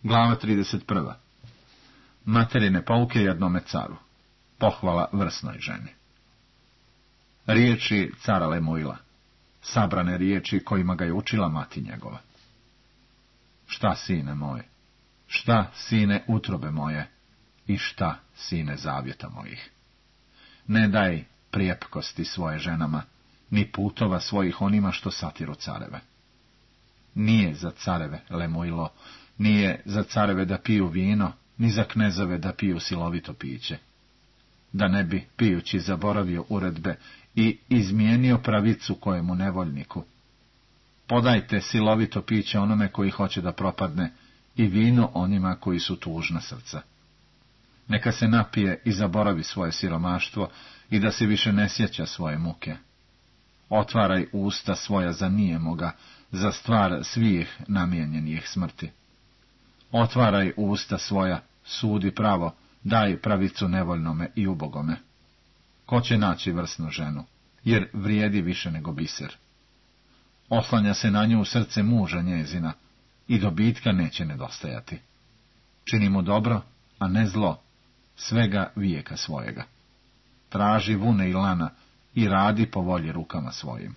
Glava 31. Materine pouke jednome caru. Pohvala vrsnoj ženi. Riječi cara Lemuila. Sabrane riječi kojima ga je učila mati njegova. Šta, sine moj? Šta, sine utrobe moje? I šta, sine zavjeta mojih? Ne daj prijepkosti svoje ženama, ni putova svojih onima što satiru careve. Nije za careve, Lemuilo, nije za careve da piju vino, ni za knezove da piju silovito piće. Da ne bi, pijući, zaboravio uredbe i izmijenio pravicu kojemu nevoljniku. Podajte silovito piće onome koji hoće da propadne i vino onima koji su tužna srca. Neka se napije i zaboravi svoje siromaštvo i da se više ne sjeća svoje muke. Otvaraj usta svoja za nijemoga, za stvar svih namijenjenih smrti. Otvaraj usta svoja, sudi pravo, daj pravicu nevoljnome i ubogome. Ko će naći vrsnu ženu, jer vrijedi više nego biser. Oslanja se na nju srce muža njezina i dobitka neće nedostajati. Čini mu dobro, a ne zlo, svega vijeka svojega. Traži vune i lana i radi po volji rukama svojim.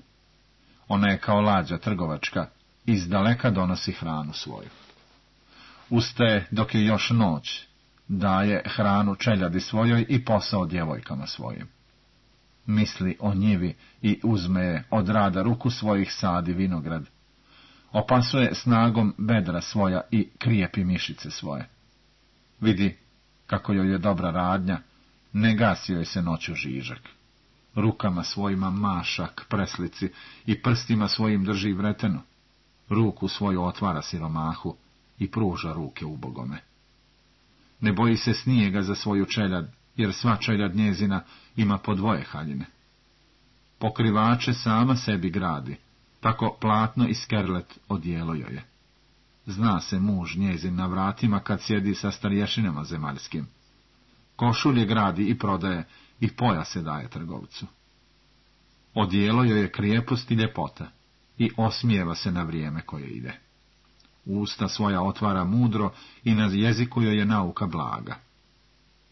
Ona je kao lađa trgovačka, izdaleka donosi hranu svoju. Ustaje dok je još noć, daje hranu čeljadi svojoj i posao djevojkama svojim. Misli o njivi i uzme je od rada ruku svojih sadi vinograd. Opasuje snagom bedra svoja i krijepi mišice svoje. Vidi kako joj je dobra radnja, ne gasi joj se noću žižak. Rukama svojima maša k preslici i prstima svojim drži vretenu. Ruku svoju otvara siromahu i pruža ruke ubogome. Ne boji se snijega za svoju čeljad, jer sva čeljad njezina ima po dvoje haljine. Pokrivače sama sebi gradi, tako platno i skerlet odijelo joj je. Zna se muž njezin na vratima kad sjedi sa starješinama zemaljskim. Košulje gradi i prodaje i pojase daje trgovcu. Odijelo joj je krijepost i ljepota i osmijeva se na vrijeme koje ide. Usta svoja otvara mudro i na jeziku joj je nauka blaga.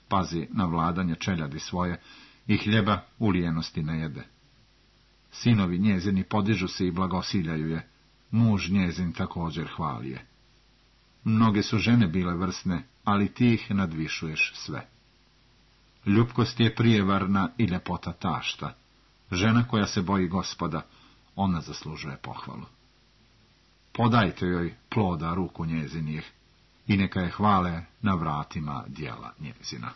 Pazi na vladanje čeljadi svoje i hljeba u lijenosti ne jede. Sinovi njezini podižu se i blagosiljaju je, muž njezin također hvali je. Mnoge su žene bile vrsne, ali ti ih nadvišuješ sve. Ljubkost je prijevarna i ljepota tašta. Žena koja se boji Gospoda, ona zaslužuje pohvalu. Podajte joj ploda ruku njezinih i neka je hvale na vratima djela njezina.